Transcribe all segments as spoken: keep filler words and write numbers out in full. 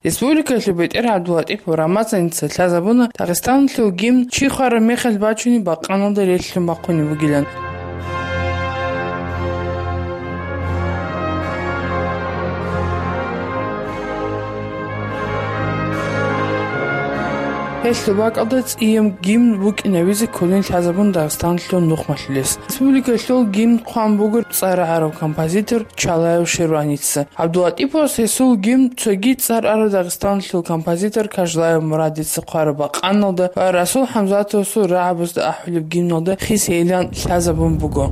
Республикалъул бетӀер ГӀабдуллатӀипов Рамазаница лъазабуна Дагъистаналъул гимн чи хвараб мехалъ бачунеб бакъаналда релълъун бахъунеб бугилан. Гьелъул бакӀалда цӀияб гимн букӀинабизе кколин лъазабун Дагъистаналъул нухмалъулес. Республикалъул гимн хъван буго цӀар араб композитор Чалаев Ширваница. ГӀабдуллатӀиповас гьесул гимн цоги цӀар араб Дагъистаналъул композитор Кажлаев Мурадица хъвараб бакъаналда ва Расул ХӀамзатовасул рагӀабазда ахӀулеб гимналда хисейилан лъазабун буго.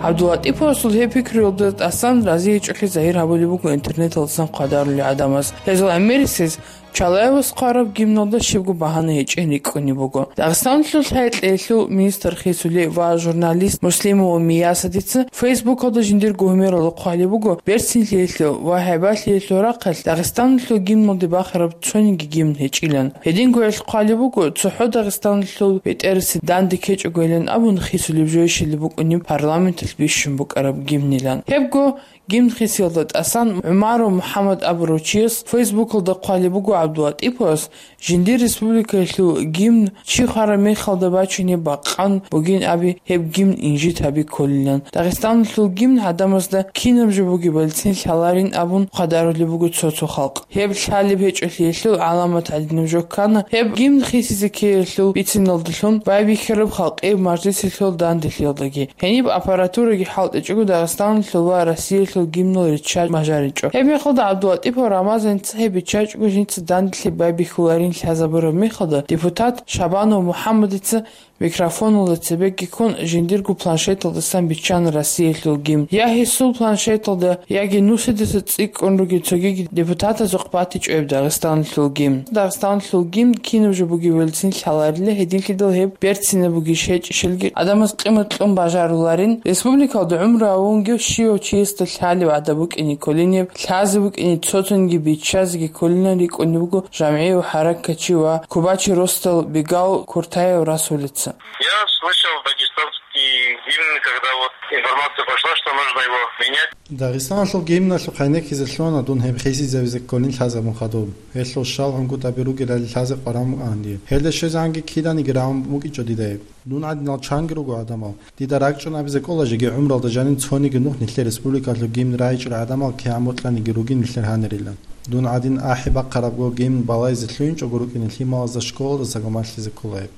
ГӀабдуллатӀиповасул гьеб пикруялда тӀасан разигьичӀолъи загьир гьабулеб буго интернеталдасан хъвадарулел гӀадамаз. Гьезул гӀемерисез Чалаевас хъвараб гимналда щибго багьана гьечӀин рикӀкӀунеб буго. Дагъистаналъул лъай-кьеялъул министр хисулев ва журналист Муслимова Миясадица Фейсбукалда жиндирго гьумералда хъвалеб буго, берцинлъиялъул ва хӀайбалъиялъул рахъалъ Дагъистаналъул гимналде бахараб цониги гимн гьечӀилан. Гьединго гьелъ хъвалеб буго, цохӀо Дагъистаналъул бетӀерасе данде ккечӀогойилан абун хисулеб жойщилеб букӀунеб парламенталъ бищун букӀараб гимнилан. Гьебго гимн хисиялда тӀасан ГӀумаров МухӀаммад абурав чияс Фейсбукалда хъвалеб буго ГӀабдуллатӀиповас, жиндир республикаялъул гимн чи хвараб мехалда бачунеб бакъан бугин аби, гьеб гимн инжит гьаби кколилан. Дагъистаналъул гимн гӀадамазда кинаб жо бугебалицин лъаларин абун хъвадарулеб буго цо-цо халкъ. Гьеб лъалеб гьечӀолъиялъул гӀаламат гӀадинаб жо ккана, гьеб гимн хисизе ккеялъул бициналдалъун байбихьараб халкъияб мажлисалъул данделъиялдаги. Гьениб аппаратураги хӀалтӀичӀого Дагъистаналъул ва Россиялъул гимнал ричча бажаричӀо. Гьеб мехалда ГӀабдуллатӀипов Рамазаница гьеб биччачӀого жинца данделъи байбихьуларин лъазабураб мехалда депутат Шабанов МухӀаммадица микрофоналда цебеги ккун жиндирго планшеталдасан биччана Россиялъул гимн. Я гьесул планшеталда, яги нусидаса цӀикӀкӀун ругел цогиги депутатазухъ батичӀо гьеб Дагъистаналъул гимн. Дагъистаналъул гимн кинаб жо бугебалицин лъаларила, гьединлъидал гьеб берцинаб бугищ гьечӀищалги гӀадамаз къимат кьун бажаруларин. Республикалда гӀумру гьавунги щивав чиясда лъалеб гӀадаб букӀине кколинеб, лъазе букӀине цоцаниги биччазеги кколилан рикӀкӀунеб буго жамгӀияв хӀаракатчи ва кубачи росдал Бегал Куртаев Расулица. Я слышал дагестанский гимн, когда вот информация пошла, что нужно его менять. Дагъистаналъул гимналъухъ гӀенеккизе лъугьана дун гьеб хисизавизе кколин лъазабун хадуб. Гьелъул щал гӀунгутӀаби ругелали лъазе къваран букӀана дие. Гьелда щвезегӀанги киданиги рагӀун букӀинчӀо дида гьеб. Дун гӀадинал чанги руго гӀадамал. Дида ракӀчӀун абизе кӀола жеги гӀумралда жанин цониги нух нилъер республикалъул гимн райчӀарал гӀадамал кигӀан бокьаниги ругин нилъер гьанирилан. Дун гӀадин ахӀи бахъарабго гимн балайзе лъугьинчӀого рукӀине лъималазда школалда сагомалъизе ккола гьеб.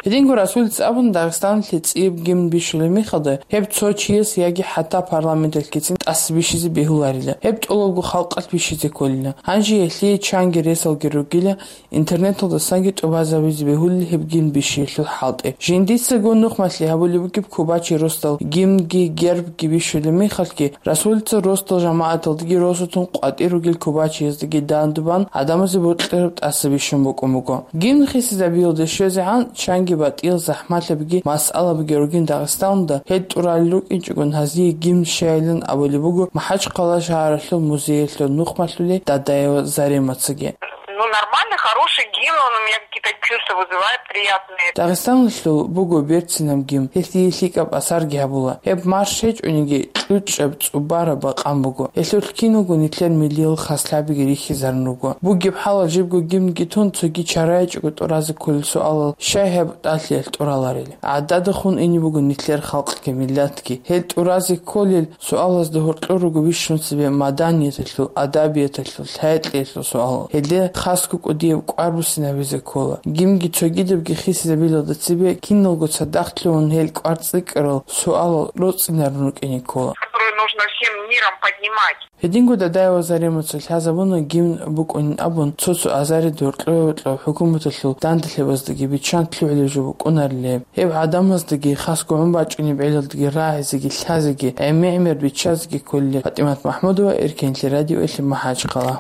Гьединго Расулица абун Дагъистаналъе цӀияб гимн бищулеб мехалда, гьеб цо чияс яги хӀатта парламенталъгицин тӀаса бищизе бегьуларила, гьеб тӀолабго халкъалъ бищизе кколила. Гьанже гьелъие чанги ресалги ругила, интернеталдасанги тӀубазабизе бегьулел гьеб гимн бищиялъул хӀалтӀи. Жиндицаго нухмалъи гьабулеб бугеб кубачи росдал гимнги гербги бищулеб мехалъги, Расулица росдал жамагӀаталдаги росулъун къватӀир ругел кубачияздаги дандубан гӀадамазе бокьараб тӀаса бищун букӀун буго. Гимн хисизабиялде щвезегӀан чанги батӀиял захӀмалъабиги масъалабиги ругин Дагъистаналда, гьел тӀуралел рукӀинчӀогун гьазие гимн щайилан абулеб буго МахӀачхъала шагьаралъул музеялъул нухмалъулей Дадаева Заремацаги. Ну, нормальный, хороший гимн, он у меня какие-то чувства вызывает приятные. Дагъистаналъул буго берцинаб гимн, гьелъие лъикӀаб асарги гьабула. Гьеб марш гьечӀониги, кьучӀаб цӀубараб бакъан буго. Гьелъулъ киналго нилъер миллиял хаслъабиги рихьизарун руго. Бугеб хӀалалъ жибго гимнги тун, цоги чарайчӀого тӀуразе кколел суалал щай гьеб тӀалъиялъ тӀураларел? ГӀадада хун ине буго нилъер халкъги миллатги. Гьел тӀуразе кколел суалазда гьоркьор руго бищун цебе маданияталъул, адабияталъул, лъай-кьеялъул суал. Гьелде хасго кӀудияб кӀвар буссинабизе ккола. Гимнги цогидабги хисизабилалда цебе киналго цадахъ лъугьун гьел кӀвар цӀикӀкӀарал суалал роцӀцӀинарун рукӀине ккола. Которую нужно всем миром поднимать. Гьединго Дадаева Заремаца лъазабуна гимн букӀунин абун, цо-цо азарид гьоркьо-гьоркьоб хӀукуматалъул данделъабаздаги биччан лъугӀулеб жо букӀунарилеб. Гьеб гӀадамаздаги, хасго гӀун бачӀунеб гӀелалдаги рагӀизеги лъазеги, гӀемер-гӀемер биччазеги кколилеб. ПатӀимат МахӀмудова, Эркенлъи радиоялъе, МахӀачхъала.